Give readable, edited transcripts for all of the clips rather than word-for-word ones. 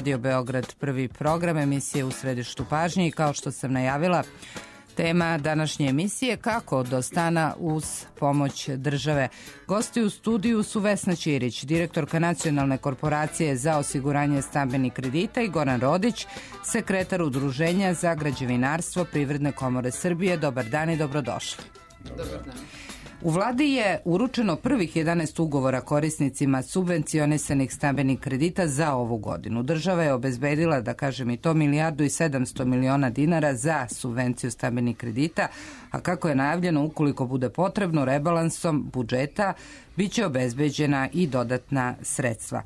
Radio Beograd, prvi program, emisije U središtu pažnje i kao što sam najavila, tema današnje emisije kako do stana uz pomoć države. Gosti u studiju su Vesna Ćirić, direktorka Nacionalne korporacije za osiguranje stambenih kredita i Goran Rodić, sekretar Udruženja za građevinarstvo Privredne komore Srbije. Dobar dan i dobrodošli. Dobar dan. U vladi je uručeno prvih 11 ugovora korisnicima subvencionisanih stambenih kredita za ovu godinu. Država je obezbedila, da kažem i to, 1.7 milijardi dinara za subvenciju stambenih kredita, a kako je najavljeno, ukoliko bude potrebno, rebalansom budžeta biće obezbeđena i dodatna sredstva.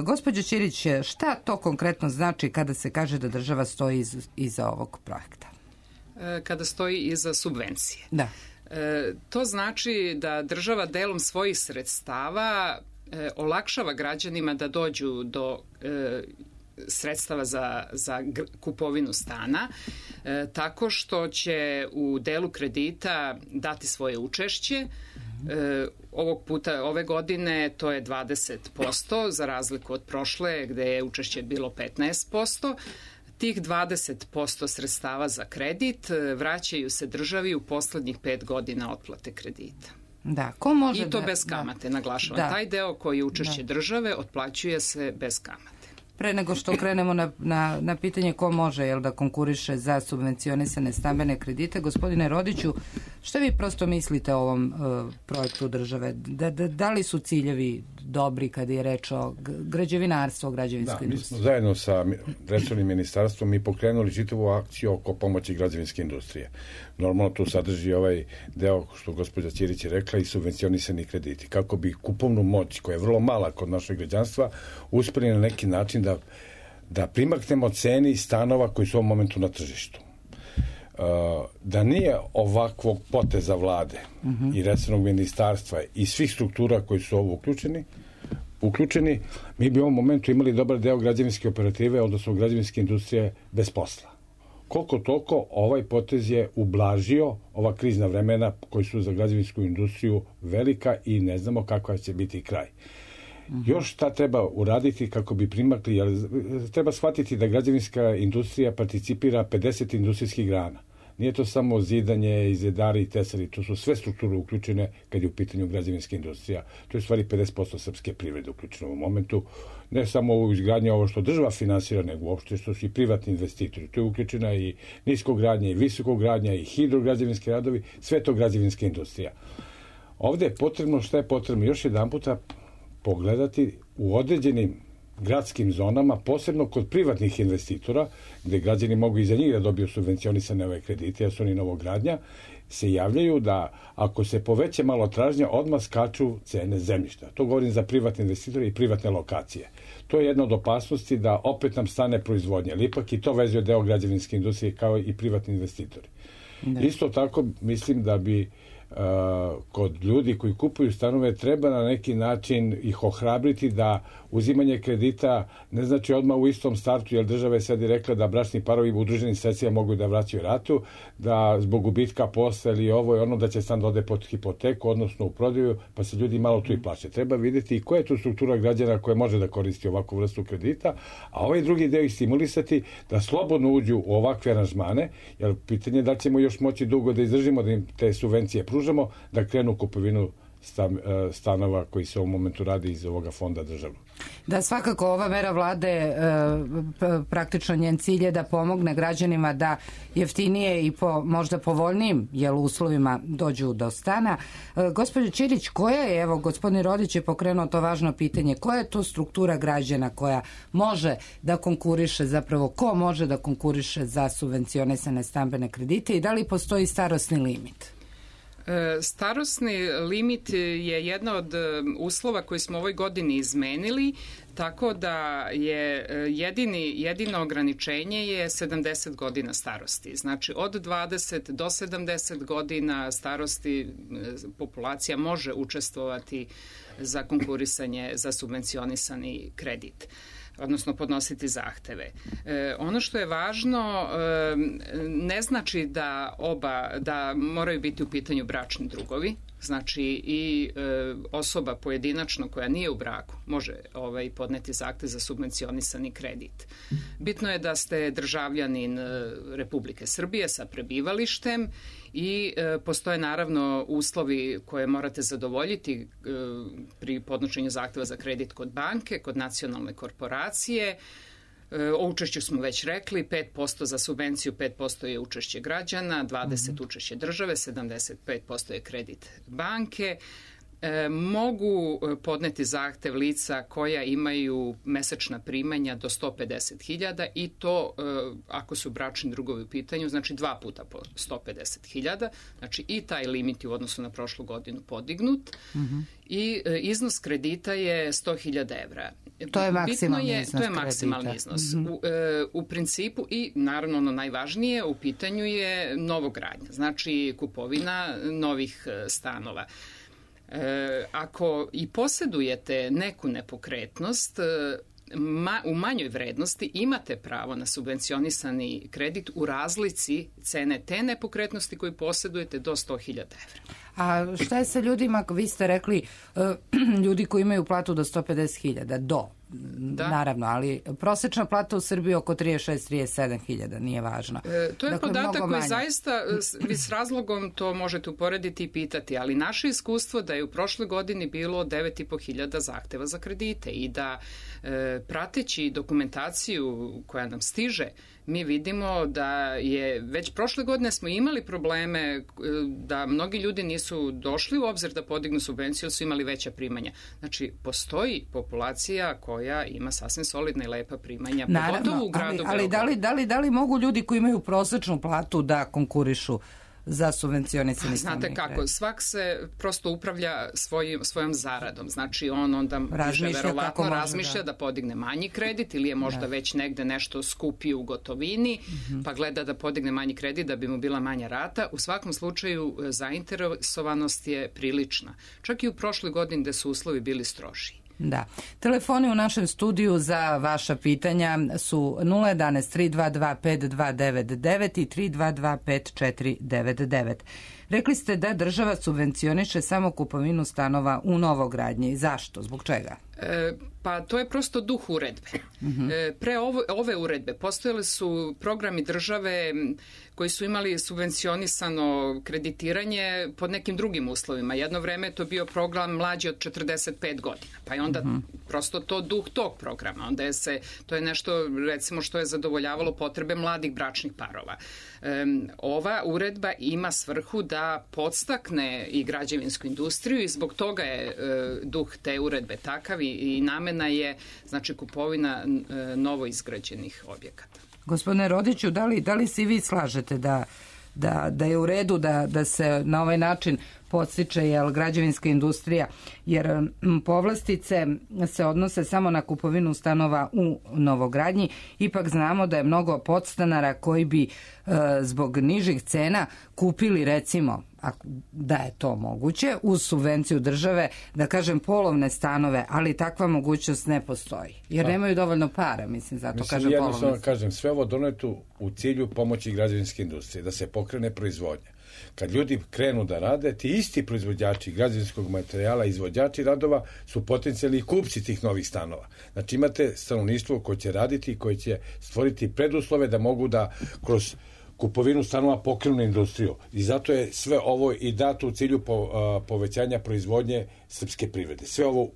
Gospođo Ćirić, šta to konkretno znači kada se kaže da država stoji iza ovog projekta? Kada stoji iza subvencije. Da. To znači da država delom svojih sredstava olakšava građanima da dođu do sredstava za kupovinu stana, tako što će u delu kredita dati svoje učešće. Ove godine to je 20%, za razliku od prošle gde je učešće bilo 15%. Tih 20% sredstava za kredit vraćaju se državi u poslednjih 5 godina otplate kredita. Da, ko može I to bez kamate, naglašavam. Da. Taj deo koji je učešće države otplaćuje se bez kamate. Pre nego što krenemo na pitanje ko može da konkuriše za subvencionisane stambene kredite, gospodine Rodiću, šta vi prosto mislite o ovom projektu države? Da li su ciljevi dobri kada je reč o građevinarstvu, o građevinskoj industriji? Mi smo zajedno sa resornim ministarstvom i pokrenuli čitavu akciju oko pomoći građevinske industrije. Normalno tu sadrži ovaj deo što gospođa Ćirić je rekla i subvencionisani krediti. Kako bi kupovnu moć, koja je vrlo mala kod našeg građanstva, uspeli na neki način da primaknemo ceni stanova koji su u ovom momentu na tržištu. Da nije ovakvog poteza vlade i resornog ministarstva i svih struktura koji su ovo uključeni, mi bi u ovom momentu imali dobar deo građevinske operative, odnosno građevinske industrije bez posla. Koliko toliko ovaj potez je ublažio ova krizna vremena koji su za građevinsku industriju velika i ne znamo kakva će biti kraj. Još šta treba uraditi kako bi primakli, jer treba shvatiti da građevinska industrija participira 50 industrijskih grana. Nije to samo zidanje, izedari i tesari, to su sve strukture uključene kad je u pitanju građevinska industrija. To je u stvari 50% srpske privrede uključeno u momentu. Ne samo u izgradnje ovo što država finansira, nego uopšte što su i privatni investitori. To je uključena i niskogradnja i visokogradnja i hidrograđevinski radovi, sve to građevinska industrija. Ovde je potrebno, šta je potrebno? Još jedan puta pogledati u određenim gradskim zonama, posebno kod privatnih investitora, gde građani mogu i za njih da dobiju subvencionisane ove kredite, jer su oni novogradnja, se javljaju da ako se poveće malo tražnja, odmah skaču cene zemljišta. To govorim za privatne investitore i privatne lokacije. To je jedna od opasnosti da opet nam stane proizvodnja, ali ipak i to vezuje deo građevinske industrije kao i privatni investitori. Isto tako mislim da bi kod ljudi koji kupuju stanove treba na neki način ih ohrabriti da uzimanje kredita ne znači odmah u istom startu, jer država je sad i rekla da bračni parovi u udruženim sredstvima mogu da vraćaju ratu, da zbog gubitka posla ili ovo i ono da će stan da ode pod hipoteku, odnosno u prodaju, pa se ljudi malo tu i plaće. Treba vidjeti i koja je tu struktura građana koja može da koristi ovakvu vrstu kredita, a ovaj drugi deo ih stimulisati da slobodno uđu u ovakve aranžmane, jer pitanje je da ćemo još moći dugo da izdržimo da im te subvencije pružamo, da krenu u kupovinu stanova koji se u ovom momentu radi iz ovoga fonda državnog. Da, svakako ova mera vlade, praktično njen cilj je da pomogne građanima da jeftinije i po možda povoljnijim uslovima dođu do stana. Gospođo Ćirić, koja je, evo gospodin Rodić je pokrenuo to važno pitanje, koja je to struktura građana koja može da konkuriše, zapravo ko može da konkuriše za subvencionisane stambene kredite i da li postoji starosni limit? Starosni limit je jedna od uslova koji smo u ovoj godini izmenili, tako da je jedino ograničenje je 70 godina starosti. Znači od 20 do 70 godina starosti populacija može učestvovati za konkurisanje za subvencionisani kredit, odnosno podnositi zahteve. Ono što je važno, ne znači da moraju biti u pitanju bračni drugovi. Znači i osoba pojedinačno koja nije u braku može podneti zahtev za subvencionisani kredit. Bitno je da ste državljanin Republike Srbije sa prebivalištem i postoje naravno uslovi koje morate zadovoljiti pri podnošenju zahteva za kredit kod banke, kod nacionalne korporacije. O učešću smo već rekli, 5% za subvenciju, 5% je učešće građana, 20% učešće države, 75% je kredit banke. Mogu podneti zahtev lica koja imaju mesečna primanja do 150.000 i to ako su bračni drugovi u pitanju, znači 2 puta po 150.000, znači i taj limit u odnosu na prošlu godinu podignut i iznos kredita je 100.000 evra. To je maksimalni iznos kredita. To je maksimalni iznos. U principu i naravno ono najvažnije u pitanju je novogradnja, znači kupovina novih stanova. Ako i posjedujete neku nepokretnost u manjoj vrednosti, imate pravo na subvencionisani kredit u razlici cene te nepokretnosti koju posjedujete do 100.000 evra. A šta je sa ljudima, vi ste rekli, ljudi koji imaju platu do 150.000, da. Naravno, ali prosječna plata u Srbiji oko 36-37.000, nije važno. To je dakle, podatak koji zaista, vi s razlogom to možete uporediti i pitati, ali naše iskustvo da je u prošloj godini bilo 9.500 zahteva za kredite i da prateći dokumentaciju koja nam stiže, mi vidimo da je već prošle godine smo imali probleme da mnogi ljudi nisu došli u obzir da podignu subvenciju, su imali veća primanja. Znači, postoji populacija koja ima sasvim solidna i lepa primanja, pogotovo u gradu Beogradu. Ali da li mogu ljudi koji imaju prosečnu platu da konkurišu za subvencionisani stambeni kredit? Znate kako, svak se prosto upravlja svojom zaradom. Znači on onda verovatno razmišlja da podigne manji kredit ili je možda već negde nešto skupi u gotovini, pa gleda da podigne manji kredit da bi mu bila manja rata. U svakom slučaju zainteresovanost je prilična. Čak i u prošloj godini gde su uslovi bili strožiji. Da. Telefoni u našem studiju za vaša pitanja su 011 322 5299 i 322 5499. Rekli ste da država subvencioniše samo kupovinu stanova u novogradnji. Zašto? Zbog čega? Pa to je prosto duh uredbe. Pre ove uredbe postojali su programi države koji su imali subvencionisano kreditiranje pod nekim drugim uslovima. Jedno vreme je to bio program mlađi od 45 godina. Pa je onda prosto to duh tog programa. Onda to je nešto recimo što je zadovoljavalo potrebe mladih bračnih parova. Ova uredba ima svrhu da podstakne i građevinsku industriju i zbog toga je duh te uredbe takav i namena je znači kupovina novo izgrađenih objekata. Gospodine Rodiću, da li se i vi slažete da je u redu da se na ovaj način podstiče građevinska industrija, jer povlastice se odnose samo na kupovinu stanova u novogradnji. Ipak znamo da je mnogo podstanara koji bi zbog nižih cena kupili recimo, da je to moguće, uz subvenciju države, da kažem polovne stanove, ali takva mogućnost ne postoji. Jer nemaju dovoljno para, zato kažem polovne. Jednostavno kažem, sve ovo doneto u cilju pomoći građevinske industrije, da se pokrene proizvodnja. Kad ljudi krenu da rade, ti isti proizvođači građevinskog materijala, izvođači radova su potencijalni kupci tih novih stanova. Znači imate stanovništvo koje će raditi i koje će stvoriti preduslove da mogu da kroz kupovinu stanova pokrenu industriju. I zato je sve ovo i dato u cilju povećanja proizvodnje srpske privrede. Sve ovo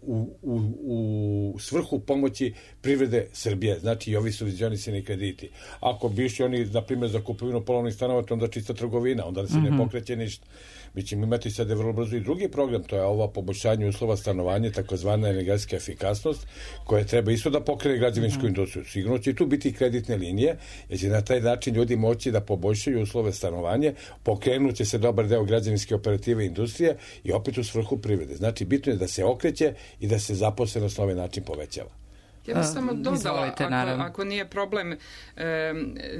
u svrhu pomoći privrede Srbije, znači i ovi subvencionisani krediti. Ako bi išli oni, na primjer, za kupovinu polovnih stanova, to onda čista trgovina, onda se ne pokreće ništa. Mi ćemo imati sada vrlo brzo i drugi program, to je ovo poboljšanje uslova stanovanja, takozvana energetska efikasnost, koja treba isto da pokrene građevinsku industriju. Sigurno će tu biti kreditne linije, jer će na taj način ljudi moći da poboljšaju uslove stanovanja, pokrenuće se dobar deo građevinske operative industrije i opet u svrhu privrede. Znači, bitno je da se okreće i da se zaposlenost na ovaj način povećava. Ja bih samo dodala, ako nije problem,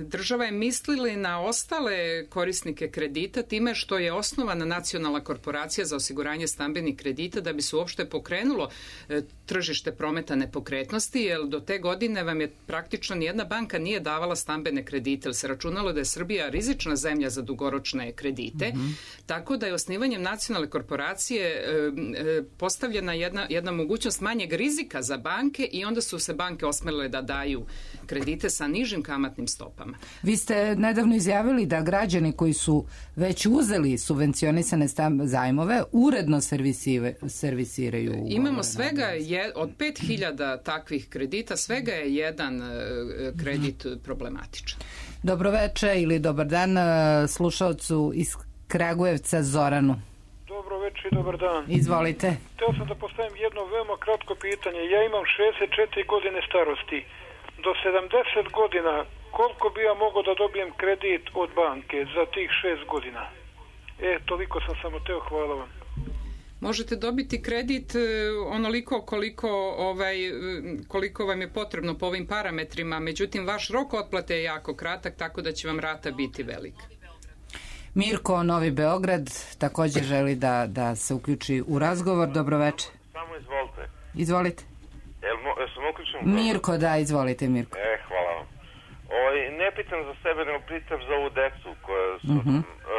država je mislila na ostale korisnike kredita time što je osnovana Nacionalna korporacija za osiguranje stambenih kredita da bi se uopšte pokrenulo tržište prometa nepokretnosti, jer do te godine vam je praktično nijedna banka nije davala stambene kredite, jer se računalo da je Srbija rizična zemlja za dugoročne kredite, tako da je osnivanjem Nacionalne korporacije postavljena jedna mogućnost manjeg rizika za banke i onda su se banke osmelile da daju kredite sa nižim kamatnim stopama. Vi ste nedavno izjavili da građani koji su već uzeli subvencionisane zajmove uredno servisiraju ugovore. Imamo svega od 5000 takvih kredita, svega je jedan kredit problematičan. Dobroveče ili dobar dan slušaocu iz Kragujevca Zoranu. Dobro večer i dobar dan. Izvolite. Hteo sam da postavim jedno veoma kratko pitanje. Ja imam 64 godine starosti. Do 70 godina koliko bi ja mogao da dobijem kredit od banke za tih 6 godina? Toliko sam samo teo, hvala vam. Možete dobiti kredit onoliko koliko vam je potrebno po ovim parametrima, međutim vaš rok otplate je jako kratak, tako da će vam rata biti velika. Mirko, Novi Beograd, također želi da se uključi u razgovor. Dobroveče. Samo izvolite. Izvolite. Sam uključen? Mirko, da, izvolite Mirko. Hvala vam. Ne pitam za sebe, nego pitam za ovu decu koja su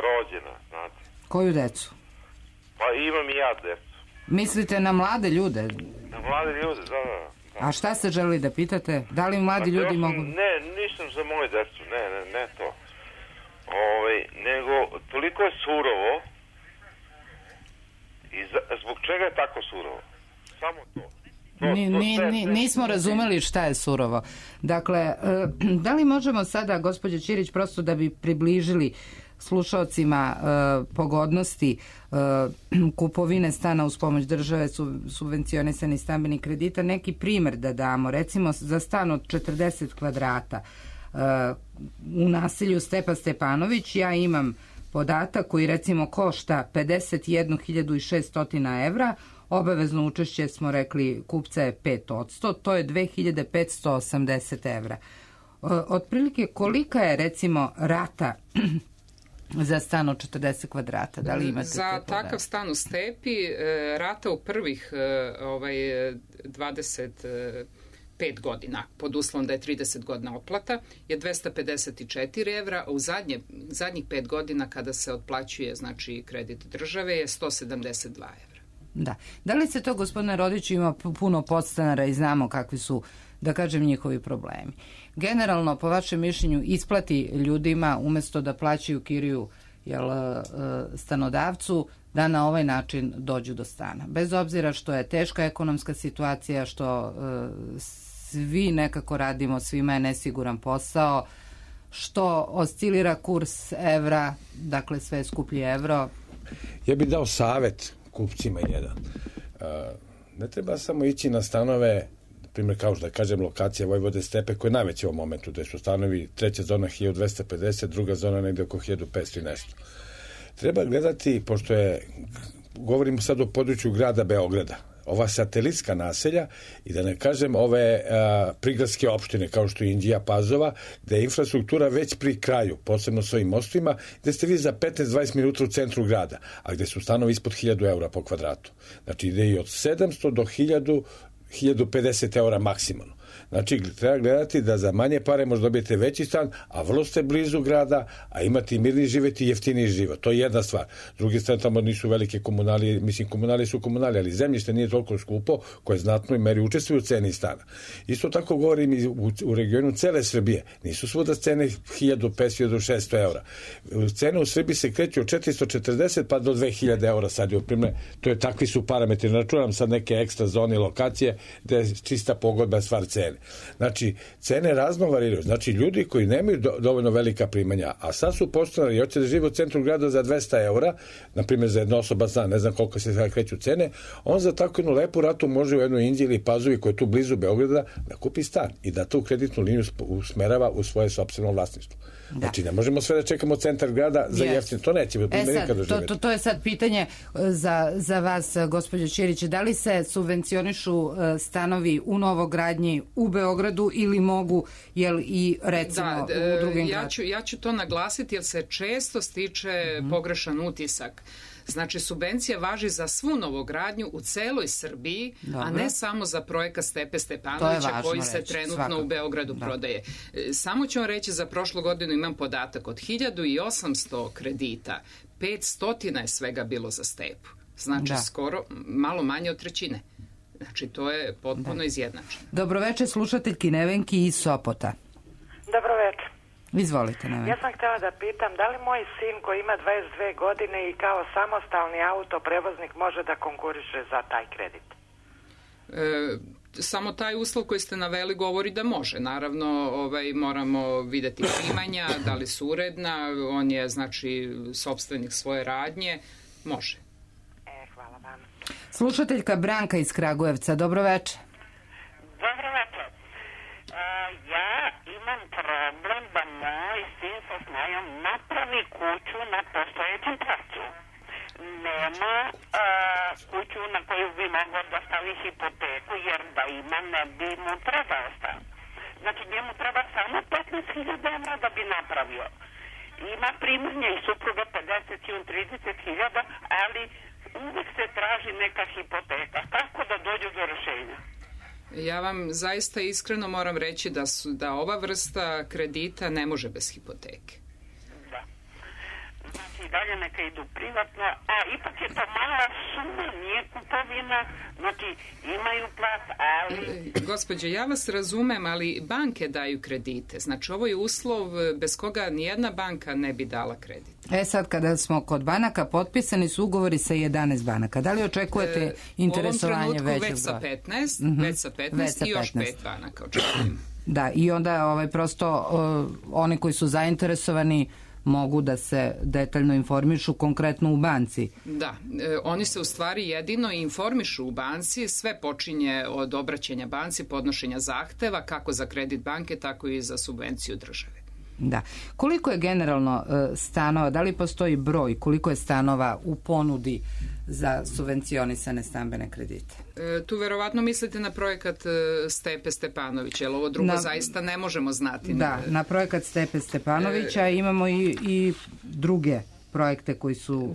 rođena, znate. Koju decu? Pa imam i ja decu. Mislite na mlade ljude? Na mlade ljude, da. A šta ste želeli da pitate? Da li mladi ljudi mogu... Ne, nisam za moje decu, ne to. Nego toliko je surovo i zbog čega je tako surovo? Samo to. Nismo razumeli šta je surovo. Dakle, da li možemo sada, gospođo Ćirić, prosto da bi približili slušaocima pogodnosti kupovine stana uz pomoć države, subvencionisani stambeni kredita, neki primer da damo, recimo za stan od 40 kvadrata u naselju Stepa Stepanović, ja imam podatak koji recimo košta 51.600 evra, obavezno učešće smo rekli kupca je 5%, to je 2.580 evra. Otprilike kolika je recimo rata za stan od 40 kvadrata? Da li imate za takav stan u Stepi rata u prvih 25 godina, pod uslovom da je 30 godina otplata, je 254 evra, a u zadnjih 5 godina kada se otplaćuje znači kredit države je 172 evra. Da. Da li se to, gospodine Rodiću, ima puno podstanara i znamo kakvi su, da kažem, njihovi problemi? Generalno, po vašem mišljenju, isplati ljudima umesto da plaćaju kiriju stanodavcu, da na ovaj način dođu do stana. Bez obzira što je teška ekonomska situacija, što svi nekako radimo, svima je nesiguran posao, što oscilira kurs evra, dakle sve skuplji evro. Ja bih dao savet kupcima jedan. Ne treba samo ići na stanove, primjer kao što da kažem lokacija Vojvode Stepe koja je najveća u ovom momentu, gde su stanovi, treća zona 1250, druga zona negde oko 1500 i nešto. Treba gledati, pošto govorimo sad o području grada Beograda, ova satelitska naselja i da ne kažem ove prigradske opštine kao što je Inđija, Pazova, gde je infrastruktura već pri kraju, posebno s ovim mostovima, gde ste vi za 15-20 minuta u centru grada, a gde su stanovi ispod 1000 eura po kvadratu. Znači ide i od 700 do 1050 eura maksimalno. Znači, treba gledati da za manje pare možda dobijete veći stan, a vrlo ste blizu grada, a imate i mirni život i jeftiniji život. To je jedna stvar. Drugi stvar, tamo nisu velike komunalije, mislim, komunalije su komunalije, ali zemljište nije toliko skupo, koje znatno i meri učestvuju u ceni stana. Isto tako govorim i u regionu cele Srbije. Nisu svuda cene 1500-1600 eura. Cene u Srbiji se kreću od 440 pa do 2000 eura sad. To je takvi su parametri. Računam sad neke ekstra zone i lokacije gde je čista pogodba stvar cene. Znači, cene razno variraju. Znači, ljudi koji nemaju dovoljno velika primanja, a sad su postanari i hoće da žive u centru grada za 200 eura, na primjer za jednosoban stan, ne znam koliko se sada kreću cene, on za takvu jednu lepu ratu može u jednoj Inđiji ili Pazovi koja je tu blizu Beograda da kupi stan i da tu kreditnu liniju usmerava u svoje sopstveno vlasništvo. Da. Znači, ne možemo sve da čekamo centar grada za jeftino. To neće nikada doživjeti. To je sad pitanje za vas, gospođo Ćirić. Da li se subvencionišu stanovi u novogradnji u Beogradu ili mogu i recimo u drugim gradovima? Ja ću to naglasiti jer se često stiče pogrešan utisak. Znači, subvencija važi za svu novogradnju u celoj Srbiji, a ne samo za projekat Stepe Stepanovića koji se trenutno u Beogradu prodaje. Samo ću vam reći, za prošlu godinu imam podatak od 1800 kredita, 500 je svega bilo za Stepu. Znači, skoro malo manje od trećine. Znači, to je potpuno izjednačeno. Dobroveče, slušateljki Nevenki iz Sopota. Dobroveče. Izvolite, Nevenka. Ja sam htjela da pitam, da li moj sin koji ima 22 godine i kao samostalni autoprevoznik može da konkuriše za taj kredit? Samo taj uslov koji ste naveli govori da može. Naravno, moramo videti primanja, da li su uredna, on je, znači, sopstvenik svoje radnje, može. Hvala vam. Slušateljka Branka iz Kragujevca, dobroveče. Dobroveče. Ja imam problem da moj sin sa snajom napravi kuću na postojećem placu. Nema kuću na koju bi mogao da stavi hipoteku, jer da ima ne bi mu trebao stan. Znači, njemu treba samo 15.000 evra da bi napravio. Ima primanje i supruga 50 i on 30.000, ali uvijek se traži neka hipoteka. Kako da dođu do rešenja? Ja vam zaista iskreno moram reći da ova vrsta kredita ne može bez hipoteke. Da. Znači, dalje neka idu privatno, a ipak je to mala suma, nije kupovina, znači imaju plac, ali... Gospođo, ja vas razumem, ali banke daju kredite. Znači, ovo je uslov bez koga nijedna banka ne bi dala kredit. Sad kada smo kod banaka, potpisani su ugovori sa 11 banaka. Da li očekujete interesovanje većeg broja? Već sa 15 i još 5 banaka očekujem. Da, i onda prosto oni koji su zainteresovani mogu da se detaljno informišu konkretno u banci. Da, oni se u stvari jedino informišu u banci, sve počinje od obraćanja banci, podnošenja zahteva, kako za kredit banke, tako i za subvenciju države. Da. Koliko je generalno stanova, da li postoji broj, koliko je stanova u ponudi za subvencionisane stambene kredite? Tu verovatno mislite na projekat Stepe Stepanovića, jer ovo drugo zaista ne možemo znati. Da, na projekat Stepe Stepanovića imamo i druge projekte koji su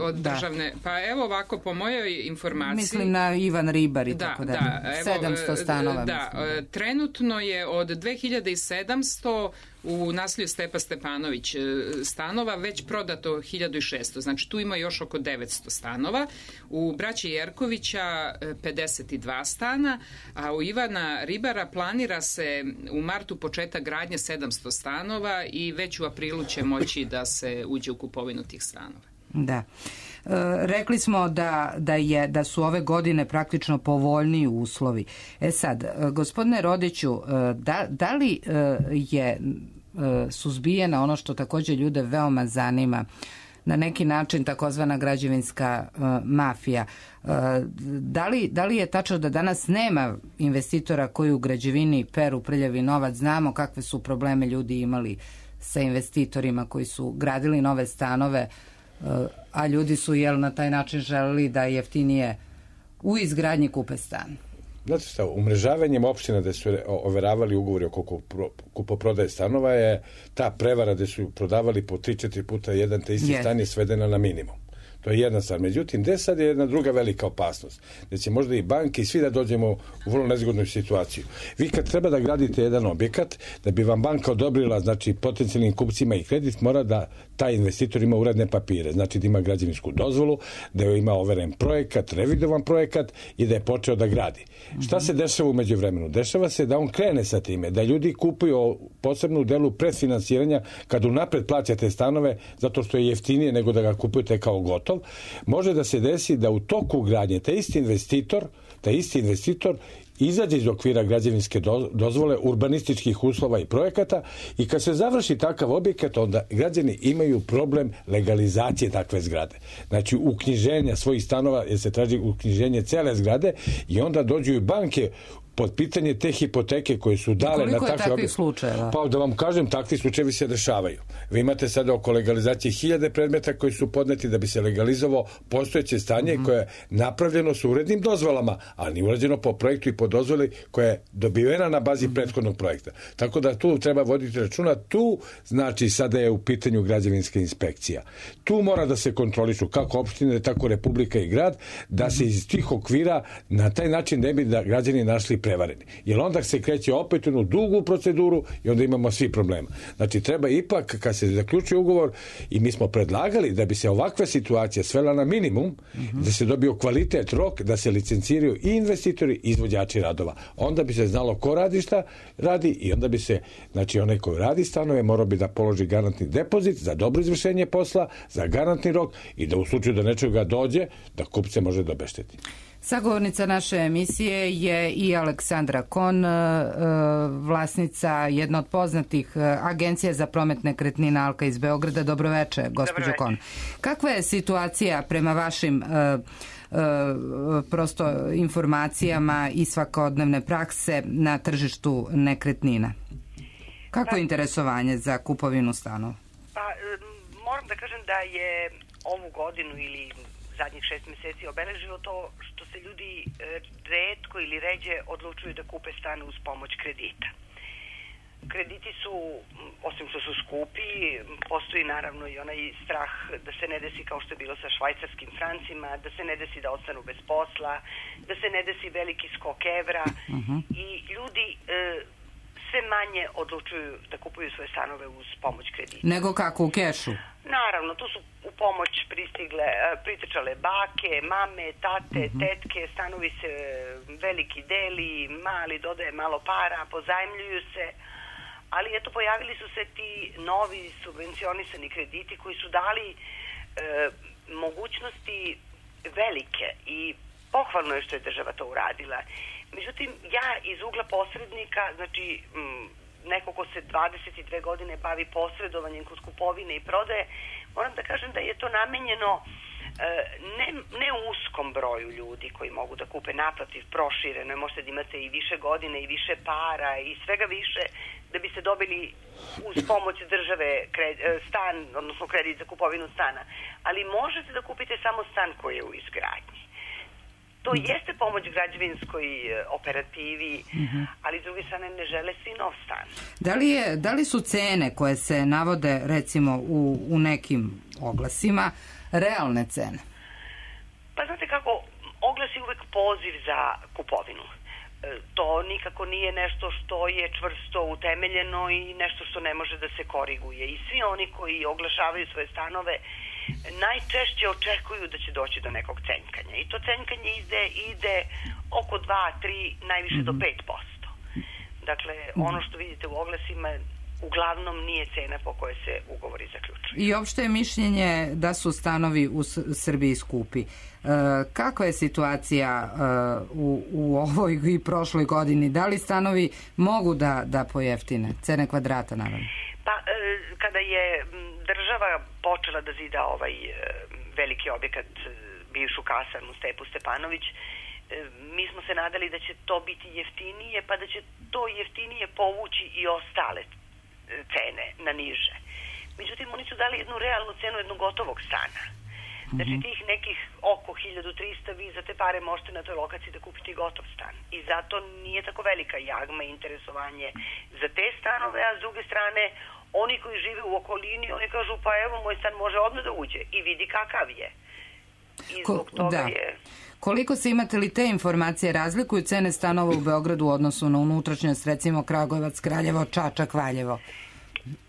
od državne. Pa evo ovako, po mojoj informaciji... Mislim na Ivan Ribar i tako da. 700 stanova. Da, trenutno je od 2700 u naselju Stepa Stepanović stanova već prodato 1600. Znači tu ima još oko 900 stanova. U braći Jerkovića 52 stana, a u Ivana Ribara planira se u martu početak gradnje 700 stanova i već u aprilu će moći da se uđe u kupovinu tih stanova. Da. Rekli smo da su ove godine praktično povoljniji uslovi. Sad, gospodine Rodiću, da li je suzbijena ono što također ljude veoma zanima, na neki način takozvana građevinska mafija? Da li je tačno da danas nema investitora koji u građevini peru prljavi novac? Znamo kakve su probleme ljudi imali sa investitorima koji su gradili nove stanove, a ljudi su na taj način želeli da jeftinije u izgradnji kupe stan. Znate šta, umrežavanjem opština da su overavali ugovori oko kupoprodaje stanova je ta prevara da su prodavali po 3-4 puta jedan te isti stan je svedena na minimum. To je jedna stvar. Međutim, gde sad je jedna druga velika opasnost? Da će možda i banke i svi da dođemo u vrlo nezgodnu situaciju. Vi kad treba da gradite jedan objekat, da bi vam banka odobrila, znači, potencijalnim kupcima i kredit, mora da taj investitor ima uredne papire. Znači da ima građevinsku dozvolu, da ima overen projekat, revidovan projekat i da je počeo da gradi. Šta se dešava u međuvremenu? Dešava se da on krene sa time, da ljudi kupuju posebno u delu predfinansiranja kad unapred plaćate stanove zato što je jeftinije nego da ga kupujete kao gotov. Može da se desi da u toku gradnje taj isti investitor izađe iz okvira građevinske dozvole, urbanističkih uslova i projekata i kad se završi takav objekat, onda građani imaju problem legalizacije takve zgrade. Znači, uknjiženja svojih stanova, jer se traži uknjiženje cele zgrade i onda dođu i banke pod pitanje te hipoteke koje su dale koliko na takve... Koliko je takvih slučajeva? Pa da vam kažem, takvi slučajevi se dešavaju. Vi imate sada oko legalizacije 1000 predmeta koji su podneti da bi se legalizovao postojeće stanje koje je napravljeno sa urednim dozvolama, ali nije urađeno po projektu i po dozvoli koja je dobivena na bazi prethodnog projekta. Tako da tu treba voditi računa. Tu znači sada je u pitanju građevinska inspekcija. Tu mora da se kontrolišu kako opštine, tako Republika i grad, da se iz tih okvira na taj način ne bi da građani našli prevareni. Jer onda se kreće opet u jednu dugu proceduru i onda imamo svi problema. Znači treba ipak kad se zaključuje ugovor, i mi smo predlagali da bi se ovakva situacija svela na minimum, da se dobio kvalitet, rok, da se licenciraju i investitori i izvođači radova. Onda bi se znalo ko radi šta radi i onda bi se, znači onaj koji radi stanove morao bi da položi garantni depozit za dobro izvršenje posla, za garantni rok i da u slučaju da nečega dođe, da kupce može da obešteti. Sagovornica naše emisije je i Aleksandra Kon, vlasnica jedna od poznatih agencija za promet nekretnina Alka iz Beograda. Dobroveče, gospođo Kon. Kakva je situacija prema vašim prosto informacijama i svakodnevne prakse na tržištu nekretnina? Kako je interesovanje za kupovinu stanova? Pa, moram da kažem da je ovu godinu ili zadnjih 6 meseci obeležilo to što se ljudi retko ili ređe odlučuju da kupe stan uz pomoć kredita. Krediti su, osim što su skupi, postoji naravno i onaj strah da se ne desi kao što je bilo sa švajcarskim francima, da se ne desi da ostanu bez posla, da se ne desi veliki skok evra i ljudi sve manje odlučuju da kupuju svoje stanove uz pomoć kredita. Nego kako, u kešu? Naravno, tu su u pomoć pritrčale bake, mame, tate, tetke, stanovi se veliki deli, mali dodaje malo para, pozajmljuju se, ali eto pojavili su se ti novi subvencionisani krediti koji su dali mogućnosti velike i pohvalno je što je država to uradila. Međutim, ja iz ugla posrednika, znači neko ko se 22 godine bavi posredovanjem kod kupovine i prodaje, moram da kažem da je to namenjeno ne uskom broju ljudi koji mogu da kupe, naprotiv, prošireno, možete da imate i više godine i više para i svega više da biste dobili uz pomoć države stan, odnosno kredit za kupovinu stana. Ali možete da kupite samo stan koji je u izgradnji. To jeste pomoć građevinskoj operativi, ali s druge strane ne žele svi nov stan. Da li su cene koje se navode recimo u nekim oglasima realne cene? Pa znate kako, oglas je uvek poziv za kupovinu. To nikako nije nešto što je čvrsto utemeljeno i nešto što ne može da se koriguje. I svi oni koji oglašavaju svoje stanove najčešće očekuju da će doći do nekog cenjkanja. I to cenjkanje ide oko 2, 3, najviše do 5%. Dakle, ono što vidite u oglasima uglavnom nije cena po kojoj se ugovori zaključuju. I opšte je mišljenje da su stanovi u Srbiji skupi. Kakva je situacija u ovoj i prošloj godini? Da li stanovi mogu da pojeftine? Cene kvadrata, naravno. Pa, kada je država počela da zida ovaj veliki objekat, bivšu kasarnu Stepu Stepanović, mi smo se nadali da će to biti jeftinije, pa da će to jeftinije povući i ostale cene na niže. Međutim, oni su dali jednu realnu cenu jednog gotovog stana. Znači, tih nekih oko 1300 vi za te pare možete na toj lokaciji da kupite gotov stan. I zato nije tako velika jagma i interesovanje za te stanove, a s druge strane, oni koji žive u okolini, oni kažu, pa evo, moj stan može odmah da uđe i vidi kakav je. I zbog toga je... Koliko se, imate li te informacije, razlikuju cene stanova u Beogradu u odnosu na unutrašnjost, recimo Kragujevac, Kraljevo, Čačak, Valjevo?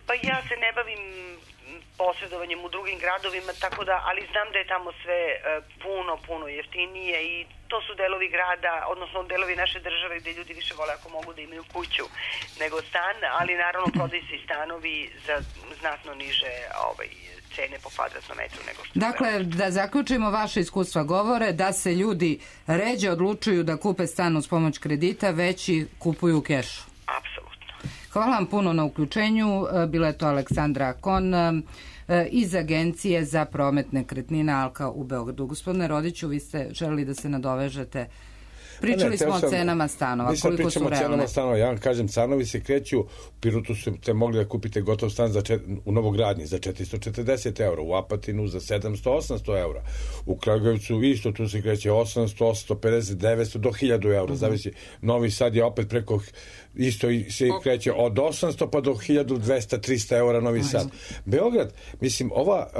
Pa ja se ne bavim posredovanjem u drugim gradovima, tako da, ali znam da je tamo sve puno jeftinije i to su delovi grada, odnosno delovi naše države gde ljudi više vole ako mogu da imaju kuću nego stan, ali naravno prodaju se i stanovi za znatno niže cene po kvadratnom metru nego što... Dakle, da zaključimo, vaše iskustva govore da se ljudi ređe odlučuju da kupe stan uz pomoć kredita, već i kupuju u kešu. Apsolutno. Hvala vam puno na uključenju. Bila je to Aleksandra Kon iz Agencije za promet nekretnina Alka u Beogradu. Gospodine Rodiću, vi ste želeli da se nadovežete? Pričali smo o cenama stanova, koliko su realne. Pričamo o cenama stanova, ja vam kažem, stanovi se kreću, u Pirotu ste mogli da kupite gotov stan u novogradnji za 440 eura, u Apatinu za 700-800 eura, u Kragujevcu isto, tu se kreće 800, 850, 900 do 1000 eura, zavisi. Novi Sad je opet preko, isto se kreće od 800 pa do 1200-300 eura Novi Sad. Beograd, mislim, ova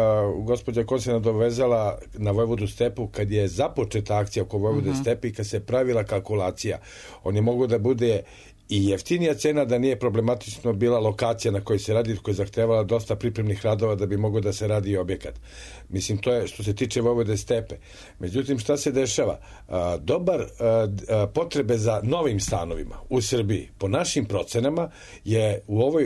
gospođa ko se nadovezala na Vojvodu stepu, kad je započeta akcija oko Vojvode stepe i kad se pravila kalkulacija, on je mogao da bude i jeftinija cena, da nije problematično bila lokacija na kojoj se radi, koja je zahtevala dosta pripremnih radova da bi mogao da se radi i objekat. Mislim, to je što se tiče Vojvode stepe. Međutim, šta se dešava? Potrebe za novim stanovima u Srbiji, po našim procenama, je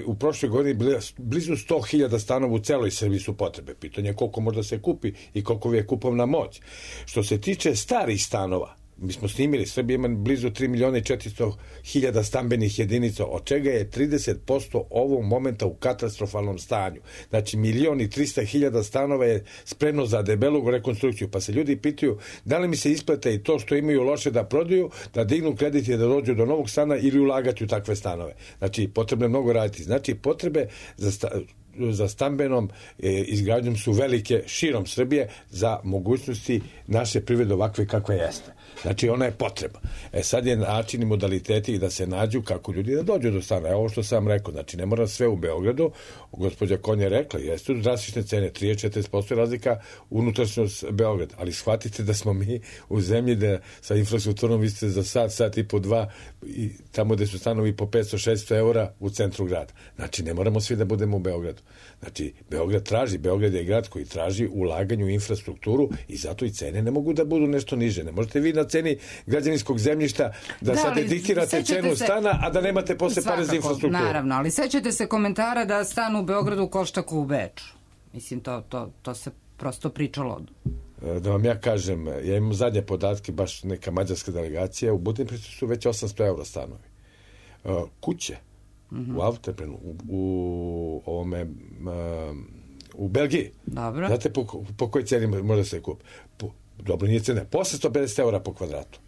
u prošloj godini blizu 100.000 stanova u celoj Srbiji su potrebe. Pitanje je koliko možda se kupi i koliko je kupovna moć. Što se tiče starih stanova, mi smo snimili, Srbija ima blizu 3.400.000 stambenih jedinica, od čega je 30% ovog momenta u katastrofalnom stanju. Znači, 1.300.000 stanova je spremno za debelu rekonstrukciju. Pa se ljudi pitaju da li mi se isplate i to što imaju loše da prodaju, da dignu kredit i da dođu do novog stana ili ulagati u takve stanove. Znači, potrebno je mnogo raditi. Znači, potrebe za stambenom izgradnjom su velike širom Srbije za mogućnosti naše privrede ovakve kakve jeste. Znači, ona je potreba. Sad je način i modaliteti da se nađu kako ljudi da dođu do stana. Ovo što sam rekao, znači, ne mora sve u Beogradu. Gospođa Konja je rekla, jeste drastične cene, 30-40% razlika unutrašnjost Beograda. Ali shvatite da smo mi u zemlji da sa infrastrukturom vi ste za sat i po dva, i tamo gde su stanovi po 500-600 eura u centru grada. Znači, ne moramo svi da budemo u Beogradu. Znači, Beograd je grad koji traži ulaganje u infrastrukturu i zato i cene ne mogu da budu nešto niže. Ne možete vi na ceni građevinskog zemljišta da sad diktirate cenu stana, a da nemate posle pare za infrastrukturu. Naravno, ali sećate se komentara da stan u Beogradu košta kao u Beču. Mislim, to se prosto pričalo. Da vam ja kažem, ja imam zadnje podatke, baš neka mađarska delegacija, u Budimpešti su već 800 eura stanovi. Kuće u Antwerpenu, u Belgiji. Dobro. Znate po kojoj ceni može se kupi? Dobro, nije cena. Po 850 eura po kvadratu.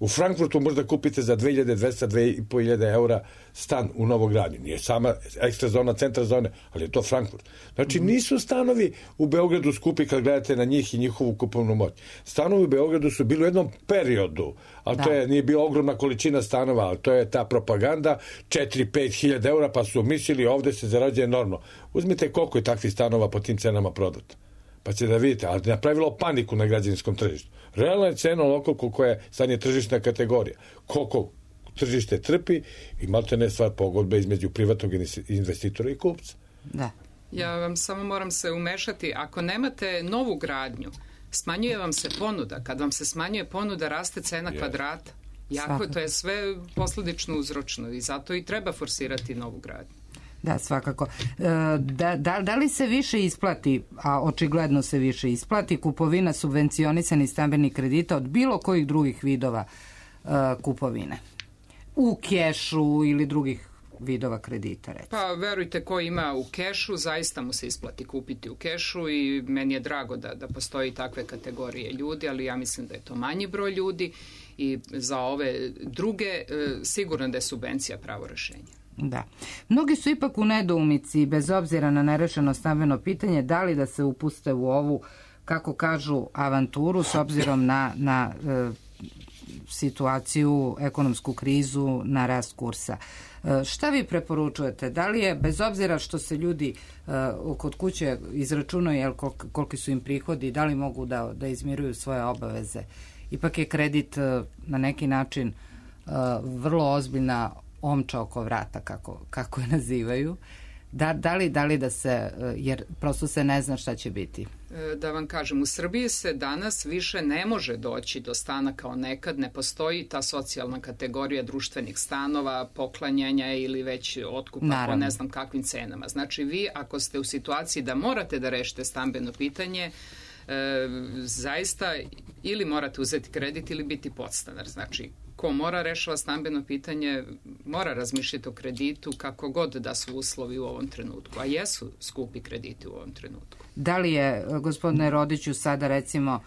U Frankfurtu možda kupite za 2200-2500 eura stan u novogradnji. Nije sama ekstra zona, centar zone, ali je to Frankfurt. Znači, nisu stanovi u Beogradu skupi kad gledate na njih i njihovu kupovnu moć. Stanovi u Beogradu su bili u jednom periodu, ali to nije bila ogromna količina stanova, ali to je ta propaganda, 4-5 hiljada eura, pa su mislili ovde se zarađuje enormno. Uzmite koliko je takvih stanova po tim cenama prodato. Pa će da vidite, ali napravilo paniku na građevinskom tržištu. Realna je cena onoliko koliko je sad je tržišna kategorija. Koliko tržište trpi i malte ne stvar pogodbe između privatnog investitora i kupca. Da. Ja vam samo moram se umešati. Ako nemate novu gradnju, smanjuje vam se ponuda. Kad vam se smanjuje ponuda, raste cena kvadrata. To je sve posledično uzročno i zato i treba forsirati novu gradnju. Da, svakako. Da li se više isplati, a očigledno se više isplati, kupovina subvencionisanih stambenih kredita od bilo kojih drugih vidova kupovine? U kešu ili drugih vidova kredita, recimo? Pa, verujte, ko ima u kešu, zaista mu se isplati kupiti u kešu i meni je drago da postoji takve kategorije ljudi, ali ja mislim da je to manji broj ljudi i za ove druge sigurno da je subvencija pravo rešenje. Da. Mnogi su ipak u nedoumici, bez obzira na nerešeno stambeno pitanje, da li da se upuste u ovu, kako kažu, avanturu s obzirom na situaciju, ekonomsku krizu, na rast kursa. Šta vi preporučujete? Da li je, bez obzira što se ljudi kod kuće izračunaju koliki su im prihodi, da li mogu da izmiruju svoje obaveze? Ipak je kredit na neki način vrlo ozbiljna omča oko vrata, kako je nazivaju. Da li da se, jer prosto se ne zna šta će biti. Da vam kažem, u Srbiji se danas više ne može doći do stana kao nekad, ne postoji ta socijalna kategorija društvenih stanova, poklanjanja ili već otkupa po ne znam kakvim cenama. Znači, vi ako ste u situaciji da morate da rešite stambeno pitanje, zaista ili morate uzeti kredit ili biti podstanar. Znači, ko mora rešava stambeno pitanje, mora razmišljati o kreditu kako god da su uslovi u ovom trenutku, a jesu skupi krediti u ovom trenutku. Da li je, gospodine Rodiću, sada recimo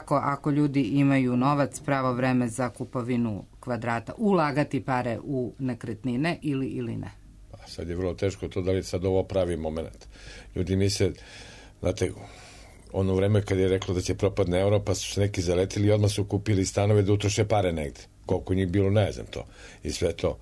ako ljudi imaju novac, pravo vreme za kupovinu kvadrata, ulagati pare u nekretnine ili ne? Sad je vrlo teško to, da li sad ovo pravi moment. Ljudi misle, znate, ono vreme kad je reklo da će propadne euro, pa su se neki zaletili i odmah su kupili stanove da utroše pare negde. Koliko njih bilo, ne znam to. I sve to.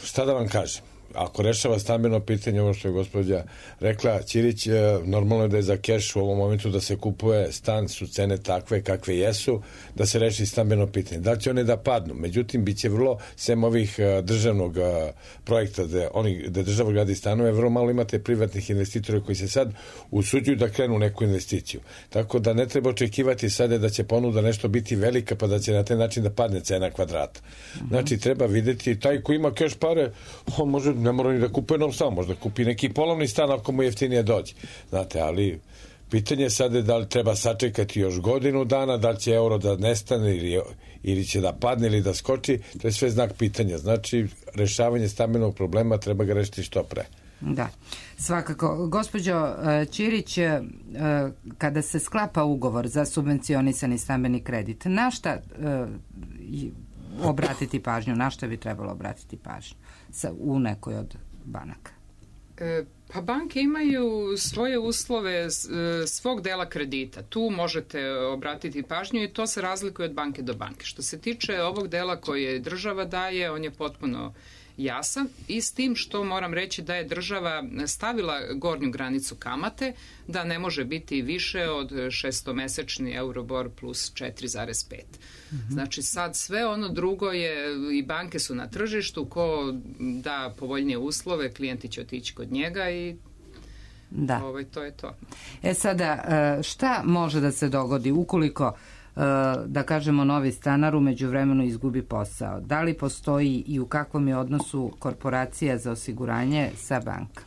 Šta da vam kažem? Ako rešava stambeno pitanje, ovo što je gospođa rekla, Ćirić, normalno je da je za keš u ovom momentu da se kupuje stan, su cene takve kakve jesu, da se reši stambeno pitanje. Da li će one da padnu? Međutim, bit će vrlo, sem ovih državnog projekta gde država gradi stanove, vrlo malo imate privatnih investitora koji se sad usuđuju da krenu neku investiciju. Tako da ne treba očekivati sada da će ponuda nešto biti velika, pa da će na taj način da padne cena kvadrata. Znači, treba videti, taj ko ima keš pare, on može, ne mora ni da kupuje nov stan, možda kupi neki polovni stan ako mu jeftinije dođe. Znate, ali pitanje sad je da li treba sačekati još godinu dana, da li će euro da nestane ili će da padne ili da skoči, to je sve znak pitanja. Znači, rešavanje stambenog problema treba ga rešiti što pre. Da, svakako. Gospođo Ćirić, kada se sklapa ugovor za subvencionisani stambeni kredit, na šta obratiti pažnju, na šta bi trebalo obratiti pažnju u nekoj od banaka? Pa banke imaju svoje uslove svog dela kredita. Tu možete obratiti pažnju i to se razlikuje od banke do banke. Što se tiče ovog dela koje država daje, on je potpuno jasan i s tim što moram reći da je država stavila gornju granicu kamate, da ne može biti više od 6-mesečni Euribor plus 4,5. Znači sad sve ono drugo je, i banke su na tržištu, ko da povoljnije uslove, klijenti će otići kod njega i to je to. Sada, šta može da se dogodi ukoliko da kažemo novi stanar u međuvremenu izgubi posao? Da li postoji i u kakvom je odnosu korporacija za osiguranje sa banka?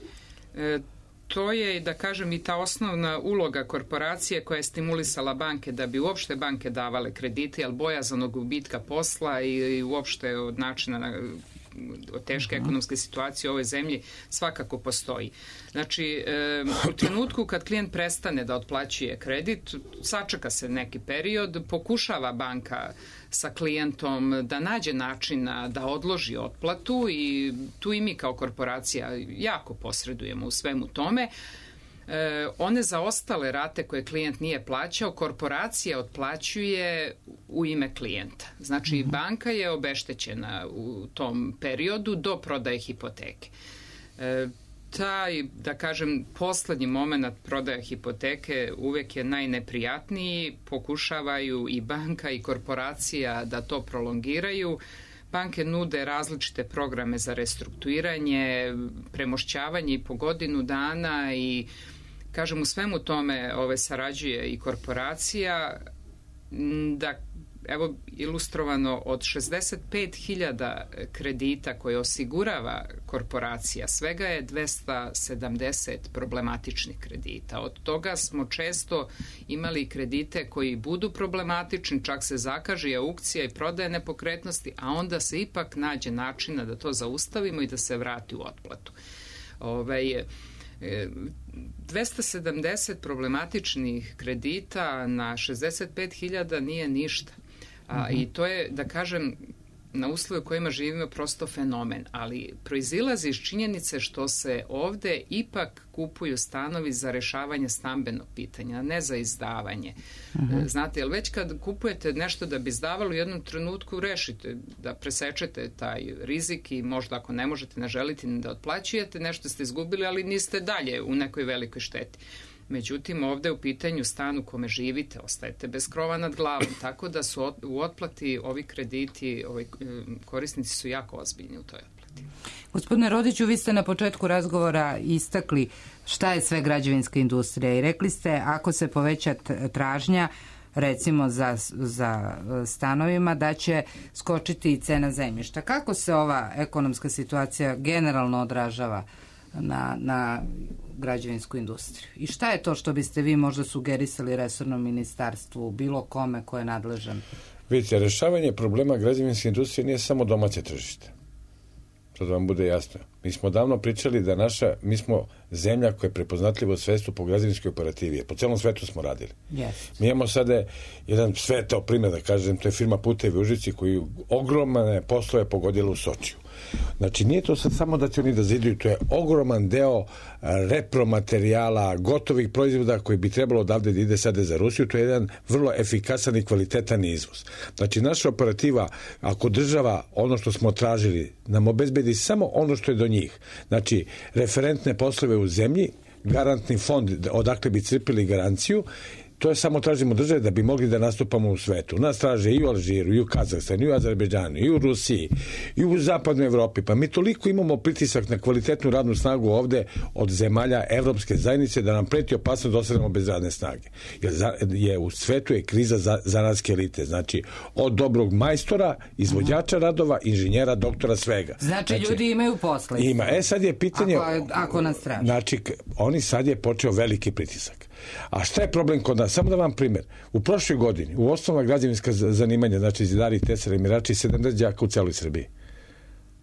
To je, da kažem, i ta osnovna uloga korporacije koja je stimulisala banke da bi uopšte banke davale kredite, ali bojazan od gubitka posla i uopšte od načina od teške ekonomske situacije u ovoj zemlji svakako postoji. Znači, u trenutku kad klijent prestane da otplaćuje kredit, sačeka se neki period, pokušava banka sa klijentom da nađe načina da odloži otplatu i tu i mi kao korporacija jako posredujemo u svemu tome. One zaostale rate koje klijent nije plaćao, korporacija otplaćuje u ime klijenta. Znači, banka je obeštećena u tom periodu do prodaje hipoteke. Taj, da kažem, poslednji moment prodaja hipoteke uvek je najneprijatniji. Pokušavaju i banka i korporacija da to prolongiraju. Banke nude različite programe za restrukturiranje, premošćavanje i po godinu dana i, kažem, u svemu tome sarađuje i korporacija. Da, evo, ilustrovano, od 65.000 kredita koje osigurava korporacija, svega je 270 problematičnih kredita. Od toga smo često imali kredite koji budu problematični, čak se zakaže i aukcija i prodaje nepokretnosti, a onda se ipak nađe načina da to zaustavimo i da se vrati u otplatu. 270 problematičnih kredita na 65.000 nije ništa. I to je, da kažem, na uslove u kojima živimo prosto fenomen, ali proizilazi iz činjenice što se ovde ipak kupuju stanovi za rešavanje stambenog pitanja, ne za izdavanje. Znate, jer već kad kupujete nešto da bi izdavalo, u jednom trenutku rešite da presečete taj rizik i možda ako ne možete, ne želite da otplaćujete, nešto ste izgubili, ali niste dalje u nekoj velikoj šteti. Međutim, ovde u pitanju stan u kome živite, ostajete bez krova nad glavom, tako da su u otplati ovi krediti, korisnici su jako ozbiljni u toj otplati. Gospodine Rodiću, vi ste na početku razgovora istakli šta je sve građevinska industrija i rekli ste ako se poveća tražnja, recimo za stanovima, da će skočiti i cena zemljišta. Kako se ova ekonomska situacija generalno odražava na građevinsku industriju? I šta je to što biste vi možda sugerisali resornom ministarstvu, bilo kome ko je nadležan? Vidite, rešavanje problema građevinske industrije nije samo domaće tržište. to da vam bude jasno. Mi smo davno pričali da mi smo zemlja koja je prepoznatljiva u svetu po građevinskoj operativi. Po celom svetu smo radili. Yes. Mi imamo sada jedan svetao primjer, da kažem, to je firma Putevi u Užici koji ogromne poslove pogodila u Sočiju. Znači, nije to sad samo da će oni da ziduju, to je ogroman deo repromaterijala, gotovih proizvoda koji bi trebalo odavde da ide sada za Rusiju, to je jedan vrlo efikasan i kvalitetan izvoz. Znači, naša operativa, ako država ono što smo tražili, nam obezbedi samo ono što je do njih, znači, referentne poslove u zemlji, garantni fond odakle bi crpili garanciju, to je samo tražimo države da bi mogli da nastupamo u svetu. Nas traže i u Alžiru, i u Kazahstanu, i u Azerbejdžanu, i u Rusiji, i u zapadnoj Evropi. Pa mi toliko imamo pritisak na kvalitetnu radnu snagu ovde od zemalja Evropske zajednice da nam preti opasnost da ostanemo bez radne snage. Jer u svetu je kriza zanatske elite. Znači, od dobrog majstora, izvođača radova, inženjera, doktora, svega. Znači ljudi imaju posla. Ima. Sad je pitanje... Ako nas traži. Znači, sad je počeo veliki pritisak. A šta je problem kod nas? Samo da vam primjer. U prošloj godini, u osnovna građevinska zanimanja, znači zidari, tesari, mirači, 70 đaka u celoj Srbiji.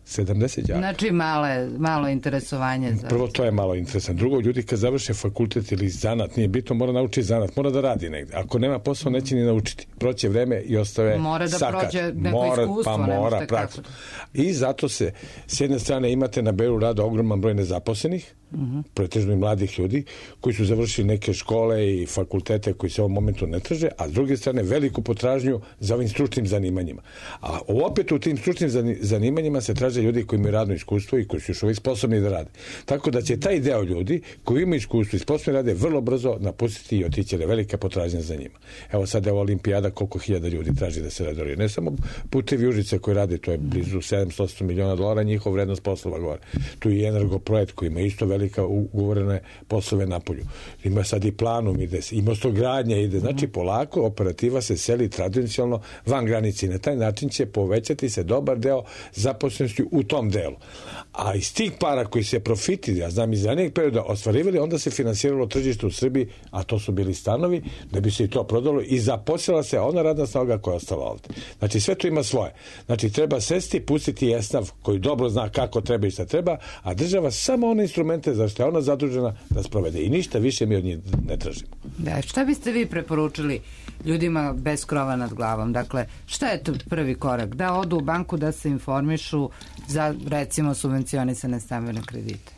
70 đaka. Znači malo interesovanje. Prvo, to je malo interesant. Drugo, ljudi kad završe fakultet ili zanat, nije bitno, mora naučiti zanat, mora da radi negde. Ako nema posao, neće ni naučiti. Proće vreme i ostave mora da sakat. Prođe neko iskustvo. Pa mora, praktično. I zato se, s jedne strane, imate na Beru rada ogroman broj nezaposlenih, pretežno i mladih ljudi, koji su završili neke škole i fakultete koji se u ovom momentu ne traže, a s druge strane veliku potražnju za ovim stručnim zanimanjima. A opet u tim stručnim zanimanjima se traže ljudi koji imaju radno iskustvo i koji su još uvijek sposobni da rade. Tako da će taj deo ljudi koji imaju iskustvo i sposobni rade vrlo brzo napustiti i otići, jer je velika potražnja za njima. Evo sad je olimpijada, koliko hiljada ljudi traži da se radi. Ne samo Putevi Užice koji rade, to je blizu $700 miliona, njihov vrednost poslova gore. Tu je i Energoprojekt koji ima isto velika ugovorene poslove na polju. Ima sad i Planum ide, i mostogradnja ide. Znači, polako operativa se seli tradicionalno van granici. Na taj način će povećati se dobar deo zaposlenosti u tom delu. A iz tih para koji se profiti, ja znam iz ranijeg perioda, ostvarivali, onda se finansiralo tržište u Srbiji, a to su bili stanovi, da bi se i to prodalo i zaposlila se ona radna snaga koja je ostala ovde. Znači, sve to ima svoje. Znači, treba sesti, pustiti esnaf koji dobro zna kako treba i šta treba, a država samo one instrumente za što je ona zadužena da sprovede. I ništa više mi od njih ne tražimo. Da, šta biste vi preporučili ljudima bez krova nad glavom? Dakle, šta je to prvi korak? Da odu u banku, da se informišu za, recimo, subvencionisane stambene kredite?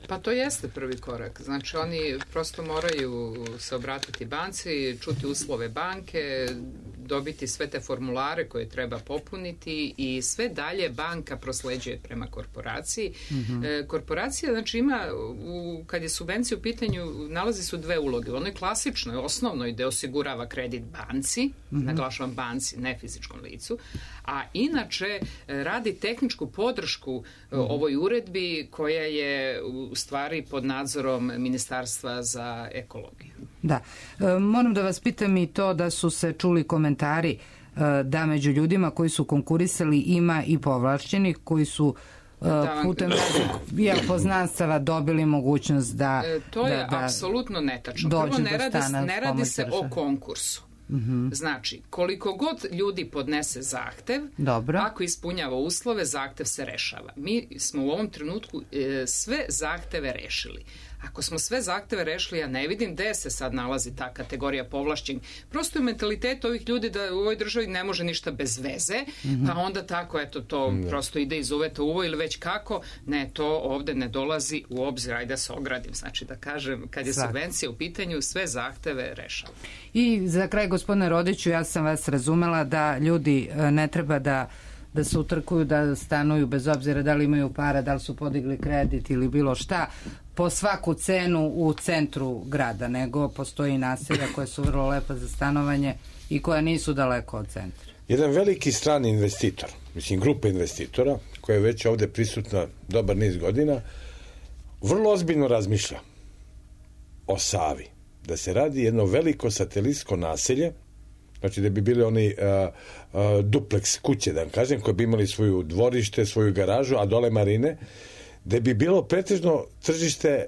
Pa to jeste prvi korak. Znači, oni prosto moraju se obratiti banci, čuti uslove banke, dobiti sve te formulare koje treba popuniti i sve dalje banka prosleđuje prema korporaciji. Korporacija, znači, ima, kad je subvencija u pitanju, nalazi su dve uloge. U onoj klasičnoj, osnovnoj, gde osigurava kredit banci, naglašavam banci, ne fizičkom licu, a inače radi tehničku podršku ovoj uredbi koja je u stvari pod nadzorom Ministarstva za ekologiju. Da. Moram da vas pitam i to da su se čuli komentari da među ljudima koji su konkurisali ima i povlašćenih koji su putem raznih poznanstava dobili mogućnost da to je apsolutno netačno. Prvo, ne radi se o konkursu. Znači, koliko god ljudi podnese zahtev, ako ispunjava uslove, zahtev se rešava. Mi smo u ovom trenutku sve zahteve rešili. Ako smo sve zahteve rešili, ja ne vidim gde se sad nalazi ta kategorija povlašćenih. Prosto je mentalitet ovih ljudi da u ovoj državi ne može ništa bez veze, pa onda tako, eto, to prosto ide iz uveta u uvo ili već kako. Ne, to ovde ne dolazi u obzir, ajde da se ogradim. Znači, da kažem, kad je subvencija u pitanju, sve zahteve rešava. I za kraj, gospodine Rodiću, ja sam vas razumela da ljudi ne treba da se utrkuju, da stanuju bez obzira da li imaju para, da li su podigli kredit ili bilo šta, po svaku cenu u centru grada, nego postoji naselja koje su vrlo lepa za stanovanje i koja nisu daleko od centra. Jedan veliki strani investitor, mislim grupa investitora, koja je već ovde prisutna dobar niz godina, vrlo ozbiljno razmišlja o Savi. Da se radi jedno veliko satelitsko naselje, znači da bi bili oni dupleks kuće, da kažem, koje bi imali svoju dvorište, svoju garažu, a dole marine, da bi bilo pretežno tržište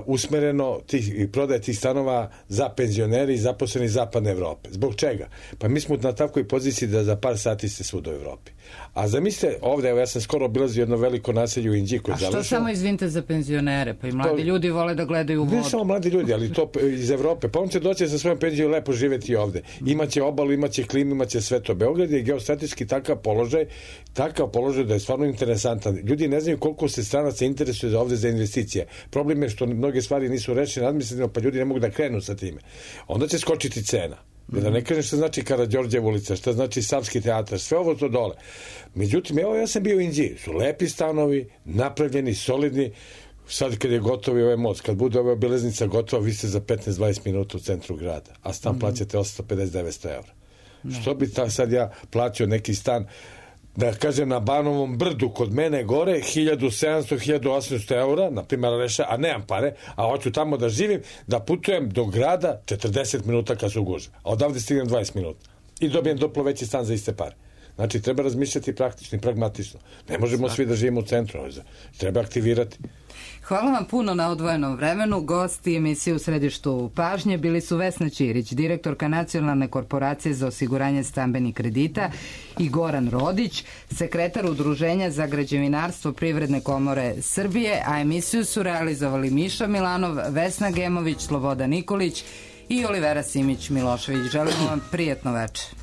usmereno i prodaje tih stanova za penzioneri i zaposleni zapadne Evrope. Zbog čega? Pa mi smo na takvoj poziciji da za par sati ste svud u Evropi. A zamislite ovde, evo ja sam skoro obilazio jedno veliko naselje u Inđiji koje je završeno. A što samo izvinite za penzionere? Pa i mladi ljudi vole da gledaju vodu. Ne samo mladi ljudi, ali to iz Evrope. Pa on će doći sa svojom penzijom lepo živeti ovde. Imaće obalu, imaće klimu, imaće sve to. Beograd je geostrateški takav položaj da je stvarno interesantan. Ljudi ne znaju koliko se stranaca interesuje ovde za investicije. Problem je što mnoge stvari nisu rešene administrativno, pa ljudi ne mogu da krenu sa time. Onda će skočiti cena. Da ne kažem šta znači Karađorđev ulica, šta znači Savski teatar, sve ovo to dole. Međutim, evo ja sam bio u Inđiji, su lepi stanovi, napravljeni, solidni, sad kad je gotovo ovaj most, kad bude ova obilaznica gotova, vi ste za 15-20 minuta u centru grada, a stan plaćate 850-900 evra. Što bi sad ja plaćao neki stan, da kažem na Banovom brdu kod mene gore 1700-1800 eura, na primjer reša, a nemam pare, a hoću tamo da živim, da putujem do grada 40 minuta kad su gužve, a odavde stignem 20 minuta i dobijem duplo veći stan za iste pare. Znači treba razmišljati praktično i pragmatično. Ne možemo svi da živimo u centru, treba aktivirati. Hvala vam puno na odvojenom vremenu. Gosti emisije U središtu pažnje bili su Vesna Ćirić, direktorka Nacionalne korporacije za osiguranje stambenih kredita, i Goran Rodić, sekretar Udruženja za građevinarstvo Privredne komore Srbije, a emisiju su realizovali Miša Milanov, Vesna Gemović, Sloboda Nikolić i Olivera Simić Milošević. Želimo vam prijetno večer.